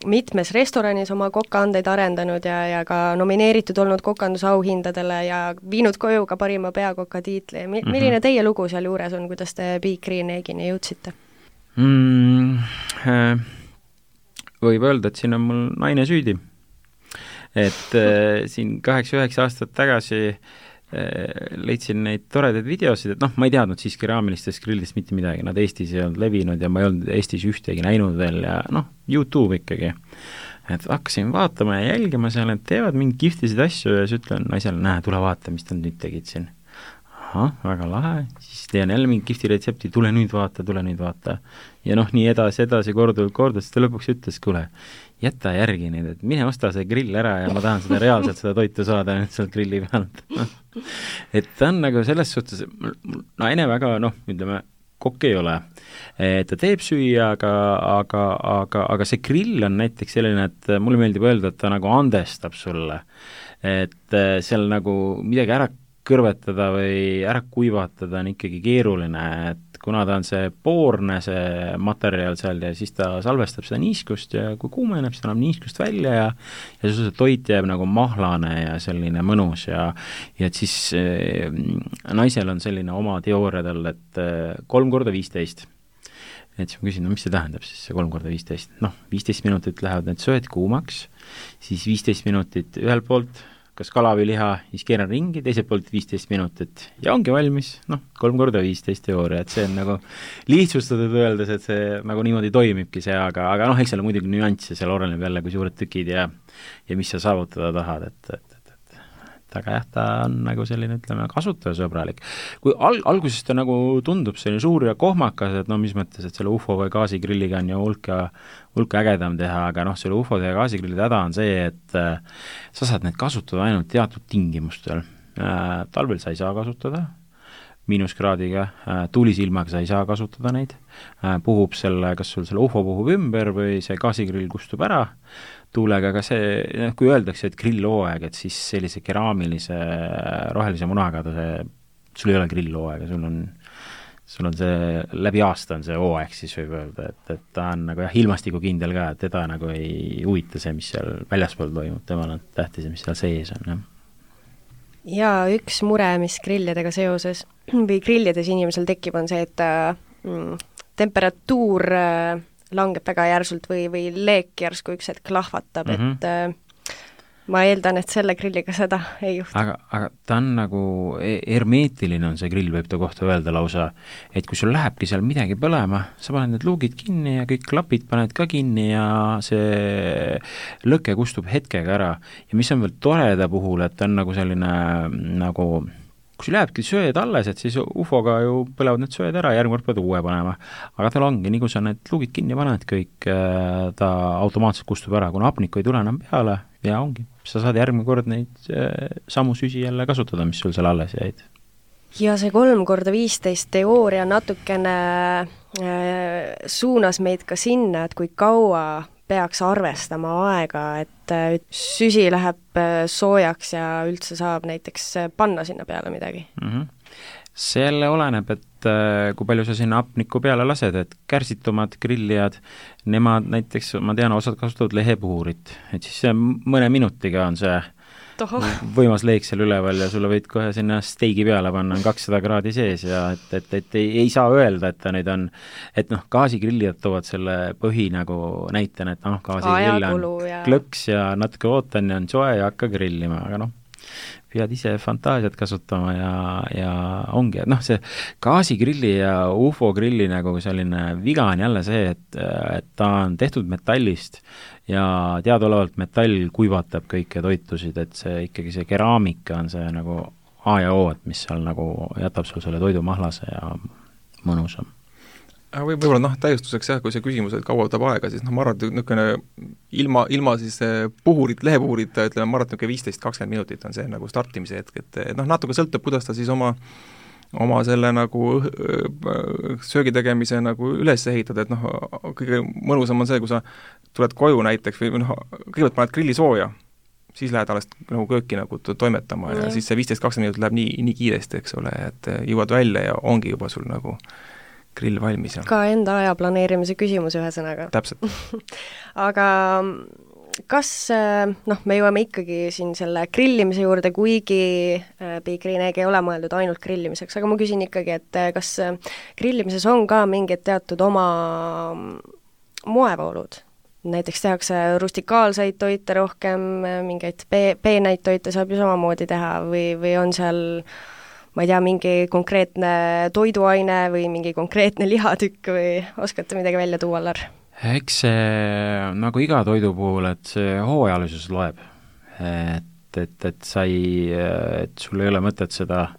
mitmes restoranis oma kokaandeid arendanud ja ka nomineeritud olnud kokandusauhindadele ja viinud koju ka parima peakoka tiitli. Milline teie lugu seal juures on, kuidas te Big Green Eggini jõudsite? Võib öelda, et siin on mul naine süüdi. Et siin 8-9 aastat tagasi leidsin neid toredaid videosid, et noh, ma ei teadnud siis keraamilistest grillidest mitte midagi, nad Eestis ei olnud levinud ja ma ei olnud Eestis ühtegi näinud veel ja noh, YouTube ikkagi. Et hakkasin vaatama ja jälgima seal, et teevad mingi kihvtisid asju ja siis ütlen naisele, näe, tule vaata, mis nad nüüd tegid siin. Ahah, väga lahe, siis teen jälle mingi kihvti retsepti, tule nüüd vaata. Ja noh, nii edasi, korduvalt, siis ta lõpuks ütles, kuule, jäta järgi nüüd, et mine osta see grill ära ja ma tahan seda reaalselt seda toitu saada nüüd sealt grilli pealt. Et ta on nagu selles suhtes, naine väga, ütleme, kokk ei ole. Ta teeb süüa, aga see grill on näiteks selline, et mulle meeldib öelda, et ta nagu andestab sulle. Et seal nagu midagi ära kõrvetada või ära kuivatada on ikkagi keeruline, et kuna ta on see poorne, see materjal seal ja siis ta salvestab seda niiskust ja kui kuumeneb, siis ta annab niiskust välja ja see toit jääb nagu mahlane ja selline mõnus ja et siis naisel on selline oma teooria tal, et 3x15. Et siis ma küsin, mis see tähendab siis see 3x15? 15 minutit lähevad need sööd kuumaks, siis 15 minutit ühel poolt, kas kala või liha, siis keeran ringi, teiselt poolt 15 minutit ja ongi valmis, 3x15 teooria, et see on nagu lihtsustatud öeldes, et see nagu niimoodi toimibki see, aga eks seal on muidugi nüansse, seal oleneb jälle, kui suured tükid ja mis sa saavutada tahad, et aga jah, ta on nagu selline, ütleme, kasutajasõbralik. Kui alguses ta nagu tundub selline suur ja kohmakas, et mis mõttes, et selle UFO või gaasigrilliga on ju hulka ägedam teha, aga selle UFO ja gaasigrillide häda on see, et sa saad need kasutada ainult teatud tingimustel. Talvel sa ei saa kasutada, miinuskraadiga, tuulisilmaga sa ei saa kasutada neid, puhub kas sul selle UFO puhub ümber või see gaasigrill kustub ära tuulega, aga see, kui öeldakse, et grillhooaeg, et siis sellise keraamilise rohelise munaga sul ei ole grillhooaega, sul on see, läbi aasta on see hooaeg, siis võib öelda, et ta on nagu ilmastikukindel ka, et teda nagu ei huvita see, mis seal väljaspool toimub, temal on tähtis, mis seal sees on, jah. Ja üks mure, mis grillidega seoses või grillides inimesel tekib, on see, et temperatuur langeb väga järsult või leek järsku üks hetk lahvatab, et ma eeldan, et selle grilliga seda ei juhtu. Aga ta on nagu hermeetiline on see grill, võib ta kohta öelda lausa, et kui sul lähebki seal midagi põlema, sa paned need luugid kinni ja kõik klapid paned ka kinni ja see lõke kustub hetkega ära. Ja mis on veel toreda puhul, et ta on nagu selline nagu kui sul jääbki sööd alles, et siis UFO-ga ju põlevad need sööd ära ja järgmine kord pead uue panema. Aga tal ongi, nii kui sa need luugid kinni paned, kõik ta automaatselt kustub ära, kuna hapnikku ei tule enam peale ja ongi. Sa saad järgmine kord neid samu süsi jälle kasutada, mis sul seal alles jäid. Ja see 3x15 teooria natukene suunas meid ka sinna, et kui kaua peaks arvestama aega, et süsi läheb soojaks ja üldse saab näiteks panna sinna peale midagi? See jälle oleneb, et kui palju sa sinna hapnikku peale lased, et kärsitumad grillijad, nemad näiteks, ma tean, osad kasutavad lehepuhurit, et siis mõne minutiga on see võimas leek seal üleval ja sulle võid kohe sinna steigi peale panna, on 200 kraadi sees ja et ei saa öelda, et ta nüüd on, et gaasigrillijad toovad selle põhi nagu näitena, et gaasigrill on klõks ja natuke ootan ja on soe ja hakka grillima, aga pead ise fantaasiat kasutama ja ongi, et see gaasigrilli ja UFO grilli nagu selline viga on jälle see, et ta on tehtud metallist ja teadaolevalt metall kuivatab kõiki toitusid, et see ikkagi see keraamika on see nagu A ja O, et mis seal nagu jätab sul selle toidu mahlase ja mõnusam. Võib-olla täiustuseks jah, kui see küsimus, et kaua võtab aega, siis ma arvan, et niisugune ilma siis lehepuhurit, ütleme, ma arvan, et 15-20 minutit on see nagu startimise hetk, et natuke sõltub, kuidas ta siis oma selle nagu söögi tegemise nagu üles ehitada, et kõige mõnusam on see, kui sa tuled koju näiteks või kõigepealt paned grilli sooja, siis lähed alles nagu kööki nagu toimetama ja siis see 15-20 minutit läheb nii kiiresti, eks ole, et jõuad välja ja ongi juba sul nagu grill valmis. Ka enda aja planeerimise küsimus ühesõnaga. Täpselt. Aga kas, me jõuame ikkagi siin selle grillimise juurde, kuigi Big Green Egg ei ole mõeldud ainult grillimiseks, aga ma küsin ikkagi, et kas grillimises on ka mingid teatud oma moevoolud? Näiteks tehakse rustikaalseid toite rohkem, mingeid peenaid toite saab ju samamoodi teha või on seal, ma ei tea, mingi konkreetne toiduaine või mingi konkreetne lihatükk või oskate midagi välja tuua, Allar? Eks see nagu iga toidu puhul, et see hooajalisus loeb. Et sul ei ole mõtet seda,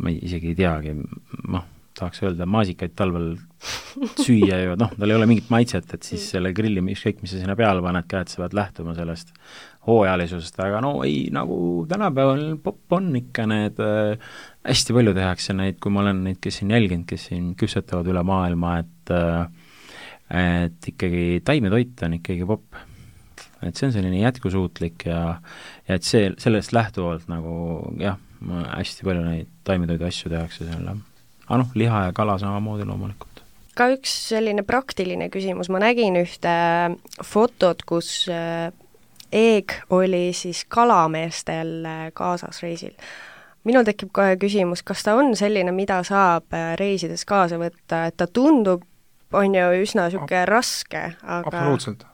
ma isegi ei teagi, tahaks öelda, maasikaid talvel süüa ju, tal ei ole mingit maitset, et siis selle grilli, ükskõik mis sa sinna peale paned, käed sa pead lähtuma sellest hooajalisusest, aga nagu tänapäeval popp on ikka need, hästi palju tehakse neid, kui ma olen neid, kes siin jälginud, kes siin küpsetavad üle maailma, et ikkagi taimetoit on ikkagi popp. Et see on selline jätkusuutlik ja et sellest lähtuvalt nagu jah, hästi palju neid taimetoidu asju tehakse selle. Aga liha ja kala samamoodi loomulikult. Ka üks selline praktiline küsimus, ma nägin ühte fotot, kus Egg oli siis kalameestel kaasas reisil. Minul tekib kohe küsimus, kas ta on selline, mida saab reisides kaasa võtta, et ta tundub, on ju üsna niisugune raske, aga absoluutselt,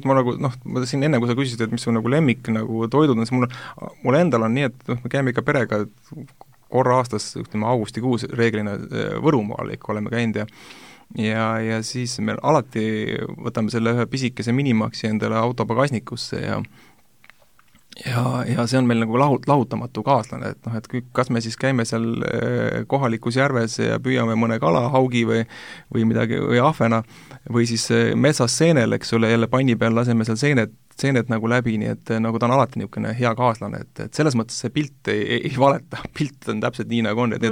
ma nagu, ma siin enne, kui sa küsisid, et mis on nagu lemmik nagu toidud, siis mul endal on nii, et me käime ikka perega korra aastas, ütleme augustikuus reeglina Võrumaal ikka oleme käinud ja siis me alati võtame selle ühe pisikese minimaksi endale auto pagasnikusse ja see on meil nagu lahutamatu kaaslane, et kas me siis käime seal kohalikus järves ja püüame mõne kala, haugi või midagi, või ahvena, või siis metsas seenel, eks ole, jälle panni peal laseme seal seened nagu läbi, nii et nagu ta on alati niisugune hea kaaslane, et selles mõttes see pilt ei valeta, pilt on täpselt nii, nagu on, et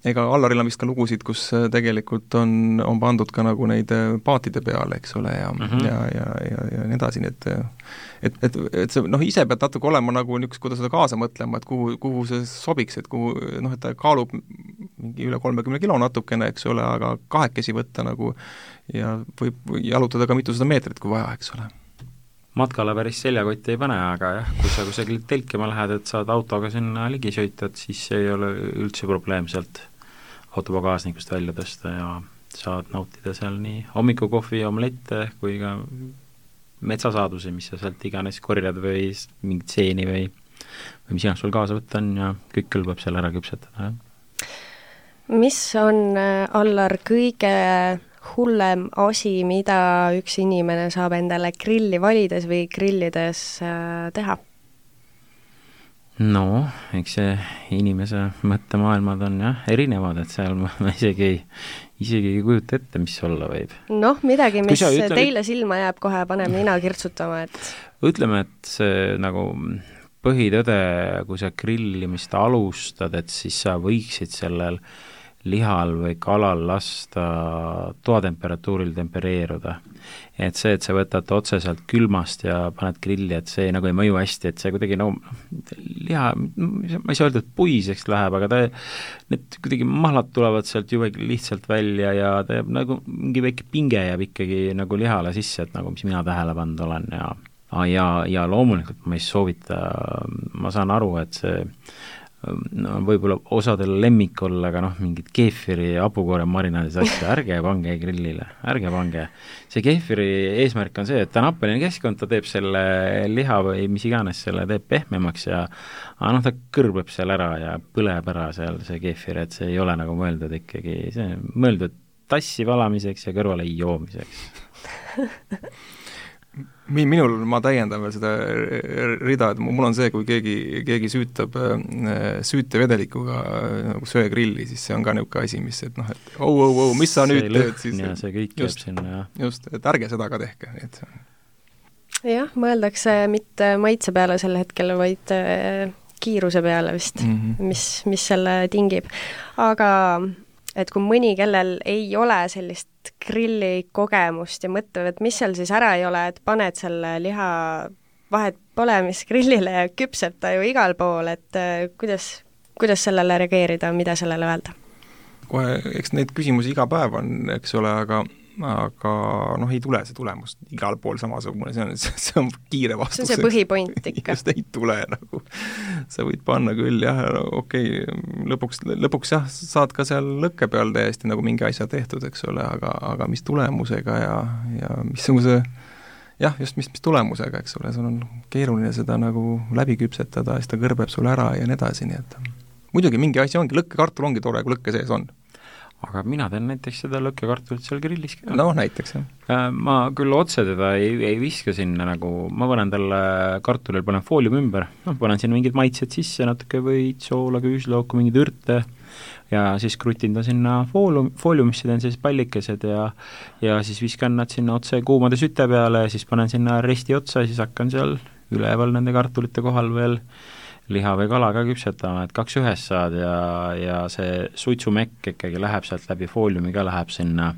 ega Allaril on vist ka lugusid, kus tegelikult on pandud ka nagu neid paatide peale, eks ole, ja nii edasi, nii et see, ise pead natuke olema nagu niisugust, kuidas seda kaasa mõtlema, et kuhu see sobiks, et kuhu, et ta kaalub mingi üle 30 kilo natukene, eks ole, aga kahekesi võtta nagu ja võib jalutada ka mitusada meetrit, kui vaja, eks ole. Matkale päris seljakotti ei pane, aga jah, kui sa kusagil telkima lähed, et saad autoga sinna ligi sõita, siis ei ole üldse probleem sealt autopagaasnikust välja tõsta ja saad nautida seal nii hommikukohvi ja omelette kui ka metsasaadusi, mis sa sealt iganes korjad või mingit seeni või mis iganes sul kaasa võtta on ja kõik kõlbab seal ära küpsetada. Mis on, Allar, kõige hullem asi, mida üks inimene saab endale grilli valides või grillides teha? No, eks see inimese mõttemaailmad on jah erinevad, et seal ma isegi ei kujuta ette, mis olla võib. Midagi, mis teile silma jääb, kohe paneb nina kirtsutama, et ütleme, et see nagu põhitõde, kui sa grillimist alustad, et siis sa võiksid sellel lihal või kalal lasta toatemperatuuril tempereeruda. Et see, et sa võtad otseselt külmast ja paned grilli, et see nagu ei mõju hästi, et see kuidagi liha, ma ei saa öelda, et puiseks läheb, aga need kuidagi mahlad tulevad sealt ju lihtsalt välja ja ta jääb nagu mingi väike pinge jääb ikkagi nagu lihale sisse, et nagu mis mina tähele pannud olen ja loomulikult ma ei soovita, ma saan aru, et see võib-olla osadel lemmik olla, aga mingid keefiri ja hapukoore marinaadis asja, ärge pange grillile, ärge pange. See keefiri eesmärk on see, et ta on happeline keskkond, ta teeb selle liha või mis iganes selle teeb pehmemaks ja ta kõrbeb seal ära ja põleb ära seal see keefir, et see ei ole nagu mõeldud ikkagi, see on mõeldud tassi valamiseks ja kõrvale joomiseks. Minul, ma täiendan veel seda rida, et mul on see, kui keegi süütab süütevedelikuga nagu söegrilli, siis see on ka niisugune asi, mis, et mis sa nüüd teed siis. Ja see kõik jääb sinna. Just, et ärge seda ka tehke. Jah, mõeldakse mitte maitse peale sel hetkel, vaid kiiruse peale vist, mis selle tingib. Aga et kui mõni, kellel ei ole sellist grilli kogemust ja mõtleb, et mis seal siis ära ei ole, et paned selle liha vahet pole, mis grillile ja küpseb ta ju igal pool, et kuidas sellele reageerida, mida sellele öelda? kohe, eks neid küsimusi iga päev on, eks ole, aga noh, ei tule see tulemus igal pool samasugune, see on kiire vastus. See on see põhipoint ikka. Just ei tule nagu, sa võid panna küll, jah, okei, lõpuks jah, saad ka seal lõkke peal täiesti nagu mingi asja tehtud, eks ole, aga mis tulemusega ja missuguse jah, just mis tulemusega, eks ole, sul on keeruline seda nagu läbi küpsetada, siis ta kõrbeb sul ära ja nii edasi, nii et muidugi mingi asi ongi, lõkkekartul ongi tore, kui lõkke sees on. Aga mina teen näiteks seda lõkkekartulit seal grillis ka. No näiteks, jah. Ma küll otse teda ei viska sinna nagu, ma panen talle kartulil, panen foolium ümber, panen sinna mingid maitsed sisse, natuke võid, soola, küüslauku, mingid ürte ja siis krutin ta sinna fooliumisse, teen siis pallikesed ja siis viskan nad sinna otse kuumade süte peale ja siis panen sinna resti otsa ja siis hakkan seal üleval nende kartulite kohal veel liha või kala ka küpsetama, et 2 ühes saad ja see suitsumekk ikkagi läheb sealt läbi fooliumi ka, läheb sinna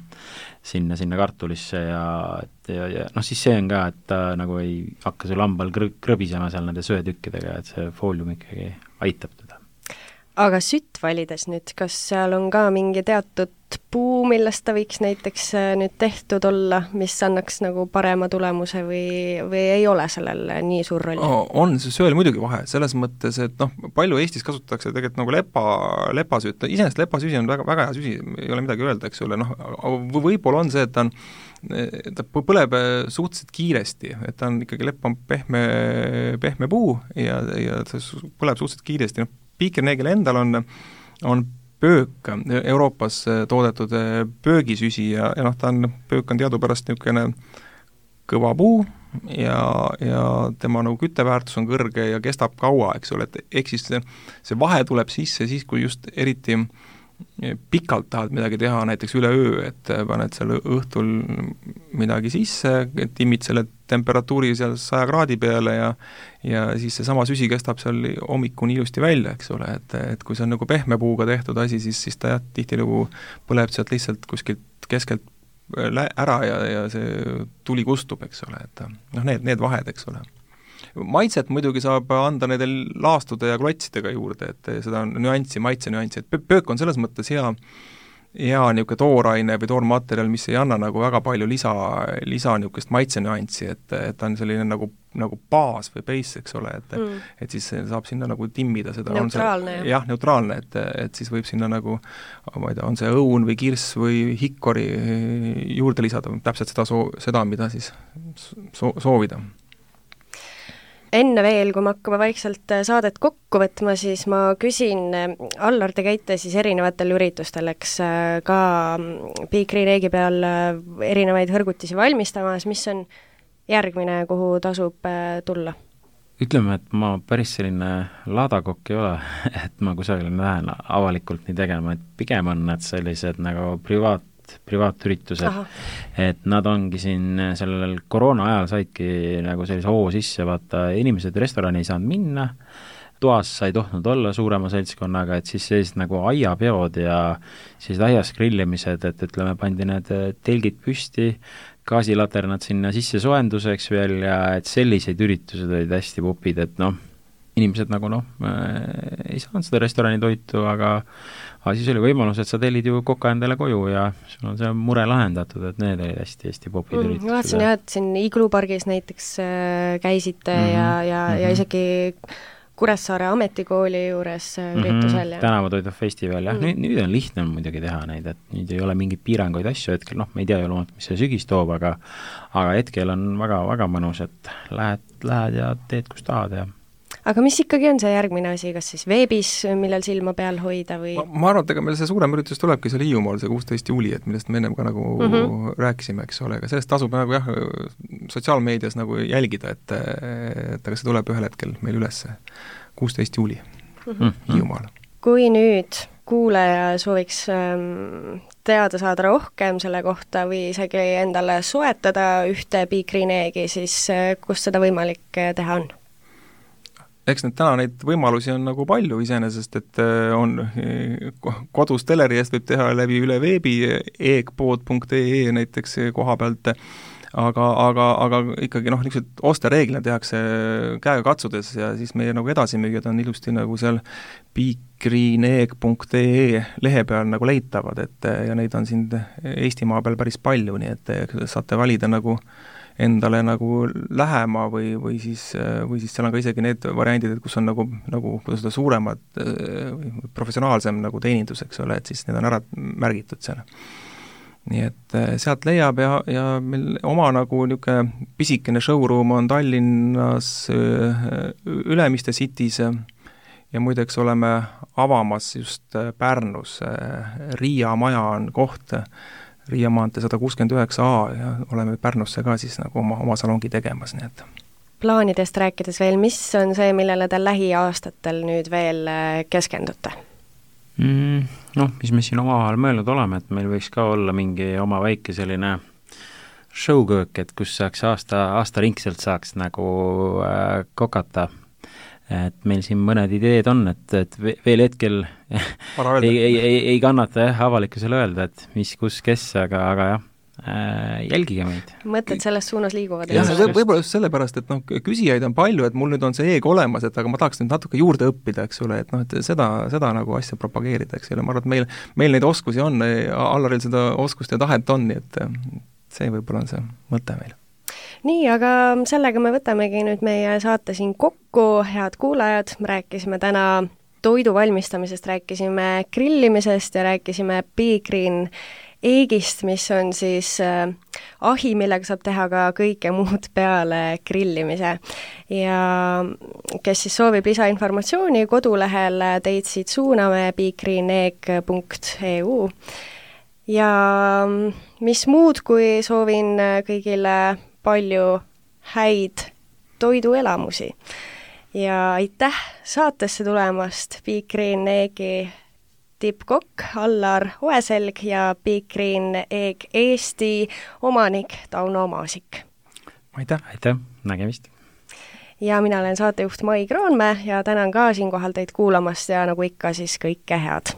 kartulisse ja noh, siis see on ka, et ta nagu ei hakka sul hambal krõbisema seal nende söetükkidega, et see foolium ikkagi aitab teda. Aga sütt valides nüüd, kas seal on ka mingi teatud puu, millest ta võiks näiteks nüüd tehtud olla, mis annaks nagu parema tulemuse või ei ole sellel nii suur roll? On see sööl muidugi vahe, selles mõttes, et noh, palju Eestis kasutatakse tegelikult nagu lepasütt, iseenesest lepasüsi on väga, väga hea süsi, ei ole midagi öelda, eks ole, noh, võib-olla on see, et ta põleb suhteliselt kiiresti, et ta on ikkagi lepp on pehme puu ja see põleb suhteliselt kiiresti, noh, piikrineegil endal on pöök, Euroopas toodetud pöögisüsi ja noh, pöök on teadupärast niisugune kõva puu ja tema nagu kütteväärtus on kõrge ja kestab kaua, eks ole, et ehk siis see vahe tuleb sisse siis, kui just eriti pikalt tahad midagi teha, näiteks üle öö, et paned seal õhtul midagi sisse, timmid selle temperatuuri seal 100 kraadi peale ja siis seesama süsi kestab seal hommikuni ilusti välja, eks ole, et kui see on nagu pehme puuga tehtud asi, siis ta jah, tihtilugu põleb sealt lihtsalt kuskilt keskelt ära ja see tuli kustub, eks ole, et noh, need vahed, eks ole. Maitset muidugi saab anda nendel laastude ja klotsidega juurde, et seda maitse nüanssi, et pöök on selles mõttes hea niisugune tooraine või toormaterjal, mis ei anna nagu väga palju lisa niisugust maitse nüanssi, et ta on selline nagu baas või base, eks ole, et siis saab sinna nagu timmida seda. Neutraalne. Jah, neutraalne, et siis võib sinna nagu, ma ei tea, on see õun või kirss või hikkori juurde lisada, täpselt seda mida siis soovida. Enne veel, kui me hakkame vaikselt saadet kokku võtma, siis ma küsin, Allar, te käite siis erinevatel üritustel, eks ka piikrineegi peal erinevaid hõrgutisi valmistamas, mis on järgmine, kuhu tasub tulla? Ütleme, et ma päris selline laadakokk ei ole, et ma kusagil lähen avalikult nii tegema, et pigem on need sellised nagu privaatüritused. Aha. Et nad ongi siin sellel koroona ajal saidki nagu sellise hoo sisse, vaata, inimesed restorani ei saanud minna, toas sai tohnud olla suurema seltskonnaga, et siis sellised nagu aiapeod ja sellised aias grillimised, et ütleme, pandi need telgid püsti, gaasilaternad sinna sisse soojenduseks veel ja et selliseid üritused olid hästi popid, et noh, inimesed nagu ei saanud seda restorani toitu, aga siis oli võimalus, et sa tellid ju koka endale koju ja sul on see mure lahendatud, et need olid hästi popid üritused. Ma vaatasin jah, et siin Iglupargis näiteks käisite ja isegi Kuressaare ametikooli juures üritusel. Tänavatoidu festival, jah. Nüüd on lihtne muidugi teha neid, et nüüd ei ole mingeid piiranguid asju hetkel, noh, me ei tea ju loomalt, mis see sügis toob, aga hetkel on väga mõnus, et lähed ja teed, kus tahad ja aga mis ikkagi on see järgmine asi, kas siis veebis, millel silma peal hoida või? Ma arvan, et ega meil see suurem üritus tulebki seal Hiiumaal, see 16. juuli, et millest me ennem ka nagu rääkisime, eks ole, aga sellest tasub nagu jah, sotsiaalmeedias nagu jälgida, et aga see tuleb ühel hetkel meil üles 16. juuli Hiiumaal. Kui nüüd kuulaja sooviks teada saada rohkem selle kohta või isegi endale soetada ühte piikrineegi, siis kus seda võimalik teha on? Eks neid võimalusi on nagu palju iseenesest, et on kodus teleri eest võib teha läbi üle veebi, eegpood.ee näiteks koha pealt, aga ikkagi niisugused ostereeglina tehakse käega katsudes ja siis meie nagu edasimüüjad on ilusti nagu seal beegreenegg.ee lehe peal nagu leitavad, et ja neid on siin Eestimaa peal päris palju, nii et saate valida nagu endale nagu lähema või siis seal on ka isegi need variandid, et kus on nagu kuidas seda suuremad professionaalsem nagu teenindus, eks ole, et siis need on ära märgitud seal. Nii et sealt leiab ja meil oma nagu niisugune pisikene showroom on Tallinnas Ülemiste City's ja muideks oleme avamas just Pärnus, Riia maja on koht, Riia maantee 169A ja oleme Pärnusse ka siis nagu oma salongi tegemas, nii et. Plaanidest rääkides veel, mis on see, millele te lähiaastatel nüüd veel keskendute? Mis me siin omavahel mõelnud oleme, et meil võiks ka olla mingi oma väike selline showköök, et kus saaks aastaringselt saaks nagu kokata. Et meil siin mõned ideed on, et veel hetkel ei kannata avalikkusele öelda, et mis, kus, kes, aga jah, jälgige meid. Mõtted selles suunas liiguvad. Ja võib-olla just sellepärast, et küsijaid on palju, et mul nüüd on see eeg olemas, et aga ma tahaks nüüd natuke juurde õppida, eks ole, et et seda nagu asja propageerida, eks ole, ma arvan, et meil neid oskusi on, Allaril seda oskust ja tahet on, nii et see võib-olla on see mõte meil. Nii, aga sellega me võtamegi nüüd meie saate siin kokku, head kuulajad, rääkisime täna toidu valmistamisest, rääkisime grillimisest ja rääkisime beegreenegg'ist, mis on siis ahi, millega saab teha ka kõike muud peale grillimise. Ja kes siis soovib lisainformatsiooni kodulehel, teid siit suuname beegreenegg.eu. Ja mis muud, kui soovin kõigile palju häid toiduelamusi. Ja aitäh saatesse tulemast Beegreeneggi tippkokk Allar Oeselg ja Beegreenegg Eesti omanik Tauno Maasik. Aitäh, nägemist. Ja mina olen saatejuht Mai Kroonmäe ja tänan ka siinkohal teid kuulamast ja nagu ikka siis kõike head.